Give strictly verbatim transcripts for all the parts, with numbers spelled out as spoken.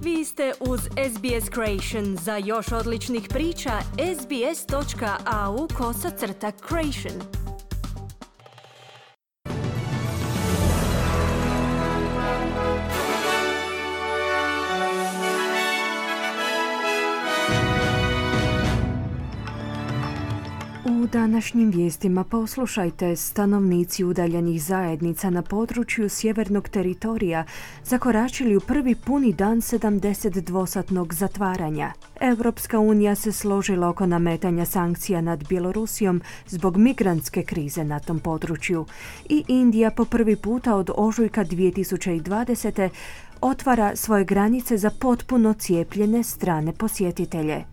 Vi ste uz S B S Creation. Za još odličnih priča, sbs.au kosacrta creation. U današnjim vijestima poslušajte: stanovnici udaljenih zajednica na području sjevernog teritorija zakoračili u prvi puni dan sedamdesetdvosatnog zatvaranja. Europska unija se složila oko nametanja sankcija nad Bjelorusijom zbog migrantske krize na tom području. I Indija po prvi puta od ožujka dvije tisuće dvadesete. otvara svoje granice za potpuno cijepljene strane posjetitelje.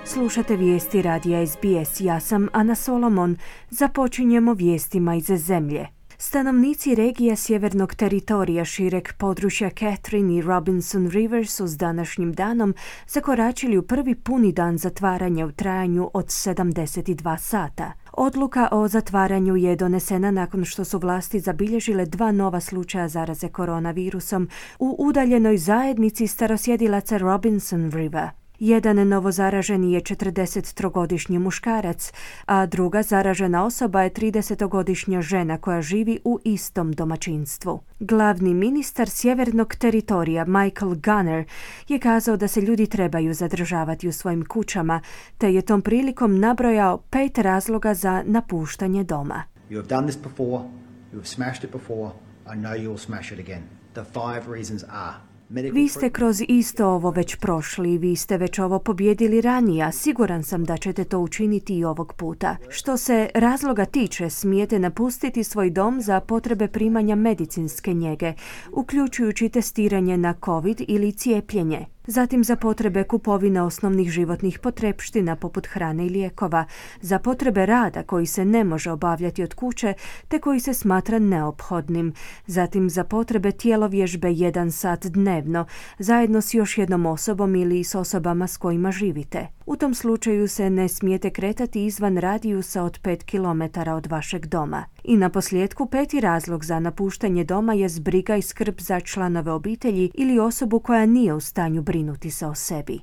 Slušate vijesti radija S B S. Ja sam Ana Solomon. Započinjemo vijestima iz zemlje. Stanovnici regija sjevernog teritorija šireg područja Catherine i Robinson Rivers su s današnjim danom zakoračili u prvi puni dan zatvaranja u trajanju od sedamdeset dva sata. Odluka o zatvaranju je donesena nakon što su vlasti zabilježile dva nova slučaja zaraze koronavirusom u udaljenoj zajednici starosjedilaca Robinson River. Jedan novozaraženi je četrdesettrogodišnji muškarac, a druga zaražena osoba je tridesetogodišnja žena koja živi u istom domaćinstvu. Glavni ministar sjevernog teritorija Michael Gunner je kazao da se ljudi trebaju zadržavati u svojim kućama, te je tom prilikom nabrojao pet razloga za napuštanje doma. You have done this before, you have smashed it before, I know you will smash it again. The five reasons are: vi ste kroz isto ovo već prošli, vi ste već ovo pobjedili ranije, a siguran sam da ćete to učiniti i ovog puta. Što se razloga tiče, smijete napustiti svoj dom za potrebe primanja medicinske njege, uključujući testiranje na COVID ili cijepljenje. Zatim za potrebe kupovine osnovnih životnih potrepština poput hrane i lijekova, za potrebe rada koji se ne može obavljati od kuće te koji se smatra neophodnim, zatim za potrebe tjelovježbe jedan sat dnevno, zajedno s još jednom osobom ili s osobama s kojima živite. U tom slučaju se ne smijete kretati izvan radijusa od pet kilometara od vašeg doma. I na posljedku peti razlog za napuštanje doma je briga i skrb za članove obitelji ili osobu koja nije u stanju brinuti se o sebi.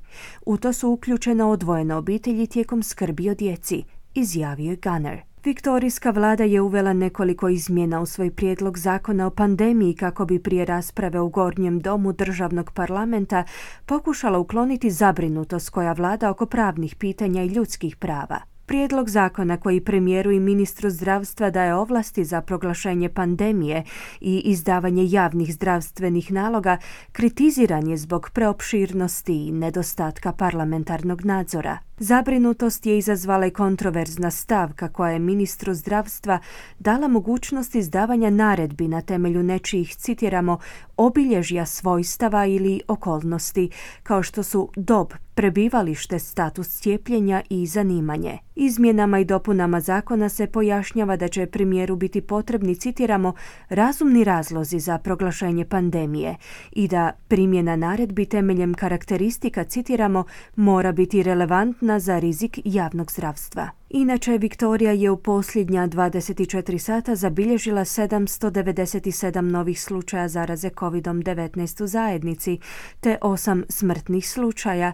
U to su uključene odvojene obitelji tijekom skrbi o djeci, izjavio je Gunner. Viktorijska vlada je uvela nekoliko izmjena u svoj prijedlog zakona o pandemiji kako bi prije rasprave u Gornjem domu državnog parlamenta pokušala ukloniti zabrinutost koja vlada oko pravnih pitanja i ljudskih prava. Prijedlog zakona koji premijeru i ministru zdravstva daje ovlasti za proglašenje pandemije i izdavanje javnih zdravstvenih naloga kritiziran je zbog preopširnosti i nedostatka parlamentarnog nadzora. Zabrinutost je izazvala i kontroverzna stavka koja je ministru zdravstva dala mogućnost izdavanja naredbi na temelju nečijih, citiramo, obilježja svojstava ili okolnosti, kao što su dob, prebivalište, status cijepljenja i zanimanje. Izmjenama i dopunama zakona se pojašnjava da će premijeru biti potrebni, citiramo, razumni razlozi za proglašenje pandemije i da primjena naredbi temeljem karakteristika, citiramo, mora biti relevantna za rizik javnog zdravstva. Inače, Viktorija je u posljednja dvadeset četiri sata zabilježila sedamsto devedeset sedam novih slučaja zaraze covid devetnaest u zajednici, te osam smrtnih slučaja,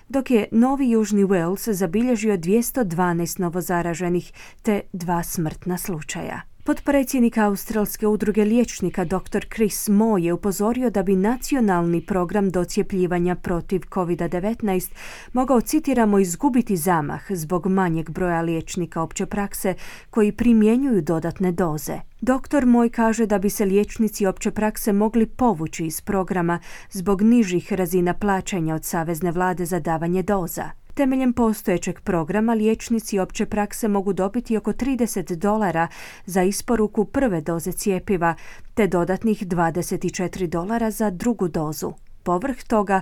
dok je Novi Južni Wales zabilježio dvjesto dvanaest novozaraženih te dva smrtna slučaja. Potpredsjednik Australske udruge liječnika dr Chris Moore je upozorio da bi nacionalni program docjepljivanja protiv covid devetnaest mogao, citiramo, izgubiti zamah zbog manjeg broja liječnika opće prakse koji primjenjuju dodatne doze. Doktor Moore kaže da bi se liječnici opće prakse mogli povući iz programa zbog nižih razina plaćanja od savezne vlade za davanje doza. Temeljem postojećeg programa liječnici opće prakse mogu dobiti oko trideset dolara za isporuku prve doze cjepiva, te dodatnih dvadeset četiri dolara za drugu dozu. Povrh toga,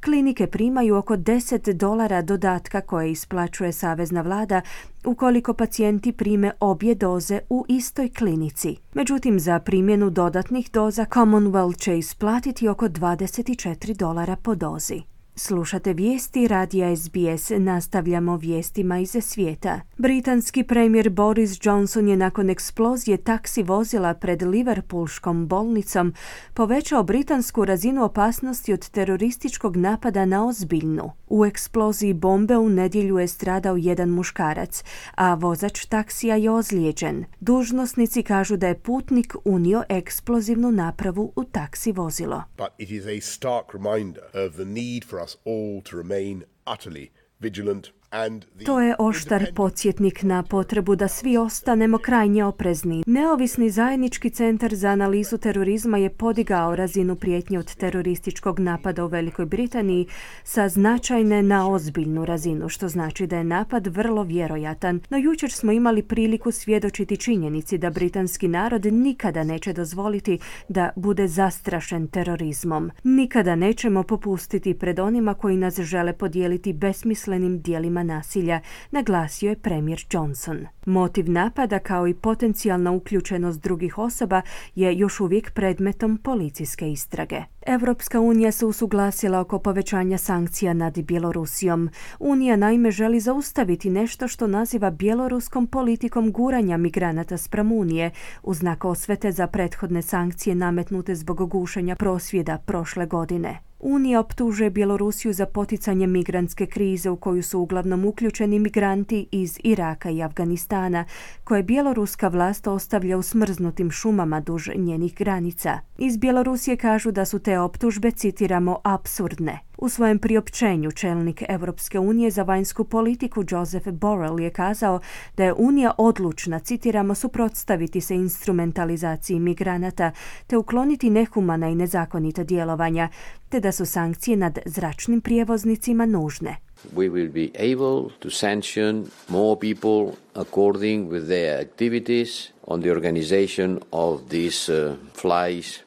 klinike primaju oko deset dolara dodatka koje isplaćuje savezna vlada ukoliko pacijenti prime obje doze u istoj klinici. Međutim, za primjenu dodatnih doza Commonwealth će isplatiti oko dvadeset četiri dolara po dozi. Slušate vijesti radija S B S, nastavljamo vijestima iz svijeta. Britanski premijer Boris Johnson je nakon eksplozije taksi vozila pred Liverpoolskom bolnicom povećao britansku razinu opasnosti od terorističkog napada na ozbiljnu. U eksploziji bombe u nedjelju je stradao jedan muškarac, a vozač taksija je ozlijeđen. Dužnosnici kažu da je putnik unio eksplozivnu napravu u taksi vozilo. But it is a stark reminder of the need for us all to remain utterly vigilant. To je oštar podsjetnik na potrebu da svi ostanemo krajnje oprezni. Neovisni zajednički centar za analizu terorizma je podigao razinu prijetnje od terorističkog napada u Velikoj Britaniji sa značajne na ozbiljnu razinu, što znači da je napad vrlo vjerojatan. No jučer smo imali priliku svjedočiti činjenici da britanski narod nikada neće dozvoliti da bude zastrašen terorizmom. Nikada nećemo popustiti pred onima koji nas žele podijeliti besmislenim dijelima nasilja, naglasio je premijer Johnson. Motiv napada kao i potencijalna uključenost drugih osoba je još uvijek predmetom policijske istrage. Europska unija se usuglasila oko povećanja sankcija nad Bjelorusijom. Unija naime želi zaustaviti nešto što naziva bjeloruskom politikom guranja migranata spram Unije u znak osvete za prethodne sankcije nametnute zbog gušenja prosvjeda prošle godine. Unija optužuje Bjelorusiju za poticanje migrantske krize u koju su uglavnom uključeni migranti iz Iraka i Afganistana, koje bjeloruska vlast ostavlja u smrznutim šumama duž njenih granica. Iz Bjelorusije kažu da su te optužbe, citiramo, apsurdne. U svojem priopćenju čelnik Europske unije za vanjsku politiku Joseph Borrell je kazao da je Unija odlučna, citiramo, suprotstaviti se instrumentalizaciji migranata te ukloniti nehumana i nezakonita djelovanja, te da su sankcije nad zračnim prijevoznicima nužne. We will be able to sanction more people according with their activities on the organization of these uh, flights.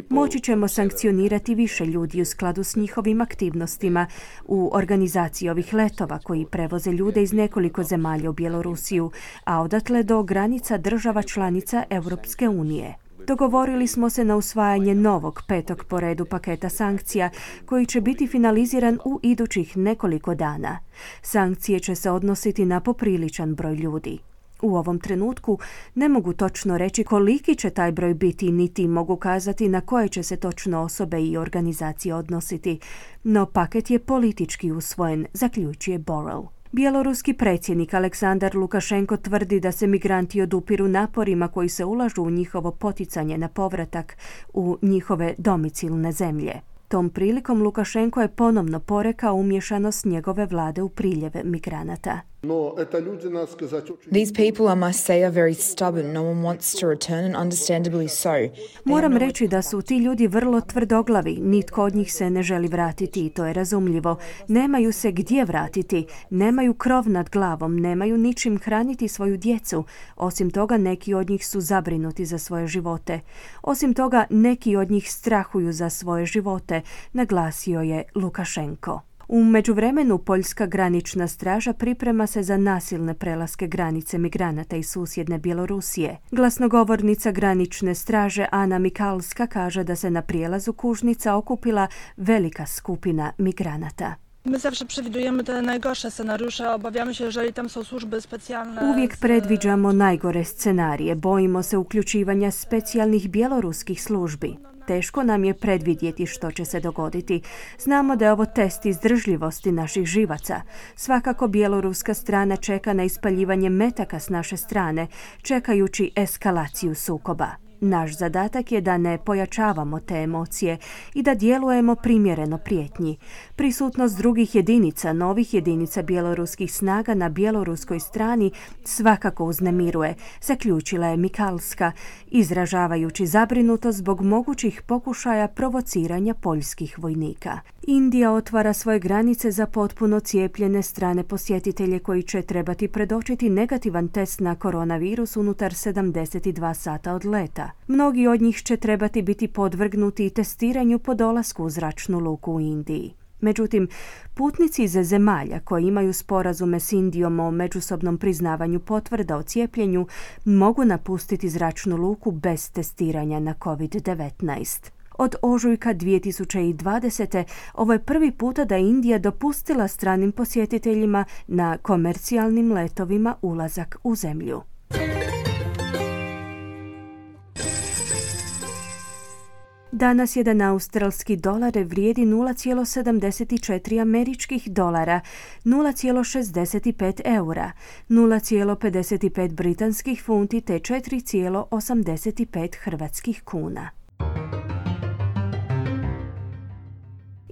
Moći ćemo sankcionirati više ljudi u skladu s njihovim aktivnostima u organizaciji ovih letova koji prevoze ljude iz nekoliko zemalja u Bjelorusiju, a odatle do granica država članica Europske unije. Dogovorili smo se na usvajanje novog petog po redu paketa sankcija koji će biti finaliziran u idućih nekoliko dana. Sankcije će se odnositi na popriličan broj ljudi. U ovom trenutku ne mogu točno reći koliki će taj broj biti, niti mogu kazati na koje će se točno osobe i organizacije odnositi, no paket je politički usvojen, zaključuje Borrell. Bjeloruski predsjednik Aleksandar Lukašenko tvrdi da se migranti odupiru naporima koji se ulažu u njihovo poticanje na povratak u njihove domicilne zemlje. Tom prilikom Lukašenko je ponovno porekao umješanost njegove vlade u priljev migranata. These people, I must say, are very stubborn. No one wants to return, and understandably so. Moram reći da su ti ljudi vrlo tvrdoglavi. Nitko od njih se ne želi vratiti i to je razumljivo. Nemaju se gdje vratiti, nemaju krov nad glavom, nemaju ničim hraniti svoju djecu. Osim toga, neki od njih su zabrinuti za svoje živote. Osim toga, neki od njih strahuju za svoje živote, naglasio je Lukašenko. U međuvremenu Poljska granična straža priprema se za nasilne prelaske granice migranata iz susjedne Bjelorusije. Glasnogovornica granične straže Ana Mikalska kaže da se na prijelazu Kužnica okupila velika skupina migranata. My zawsze przewidujemy te najgorsze scenariusze, obawiamy się, jeżeli tam są służby specjalne. Uvijek predviđamo najgore scenarije, bojimo se uključivanja specijalnih bjeloruskih službi. Teško nam je predvidjeti što će se dogoditi. Znamo da je ovo test izdržljivosti naših živaca. Svakako bjeloruska strana čeka na ispaljivanje metaka s naše strane, čekajući eskalaciju sukoba. Naš zadatak je da ne pojačavamo te emocije i da djelujemo primjereno prijetnji. Prisutnost drugih jedinica, novih jedinica bjeloruskih snaga na bjeloruskoj strani svakako uznemiruje, zaključila je Mikalska, izražavajući zabrinutost zbog mogućih pokušaja provociranja poljskih vojnika. Indija otvara svoje granice za potpuno cijepljene strane posjetitelje koji će trebati predočiti negativan test na koronavirus unutar sedamdeset dva sata od leta. Mnogi od njih će trebati biti podvrgnuti testiranju po dolasku u zračnu luku u Indiji. Međutim, putnici iz zemalja koji imaju sporazume s Indijom o međusobnom priznavanju potvrda o cijepljenju mogu napustiti zračnu luku bez testiranja na kovid devetnaest. Od ožujka dvije tisuće dvadesete. ovo je prvi puta da je Indija dopustila stranim posjetiteljima na komercijalnim letovima ulazak u zemlju. Danas jedan australski dolar vrijedi nula zarez sedamdeset četiri američkih dolara, nula zarez šezdeset pet eura, nula zarez pedeset pet britanskih funti te četiri zarez osamdeset pet hrvatskih kuna.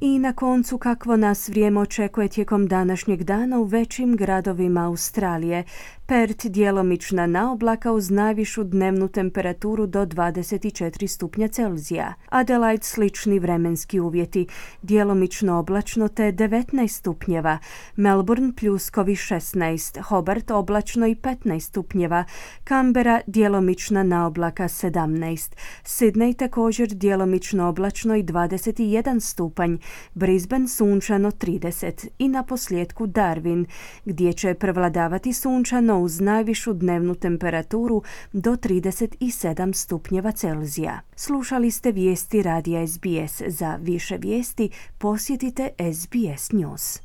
I na koncu kakvo nas vrijeme očekuje tijekom današnjeg dana u većim gradovima Australije. Perth djelomična naoblaka uz najvišu dnevnu temperaturu do dvadeset četiri stupnja Celzija. Adelaide slični vremenski uvjeti, djelomično oblačno te devetnaest stupnjeva. Melbourne pljuskovi šesnaest, Hobart oblačno i petnaest stupnjeva. Canberra djelomična naoblaka sedamnaest. Sydney također djelomično oblačno i dvadeset jedan stupanj. Brisbane sunčano trideset i na posljedku Darwin, gdje će prevladavati sunčano uz najvišu dnevnu temperaturu do trideset sedam stupnjeva Celzija. Slušali ste vijesti radija S B S. Za više vijesti posjetite S B S News.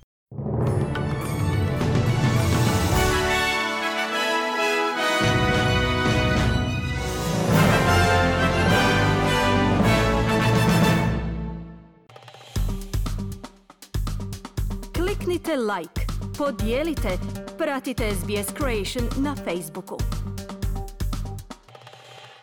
Kliknite like, podijelite, pratite S B S Creation na Facebooku.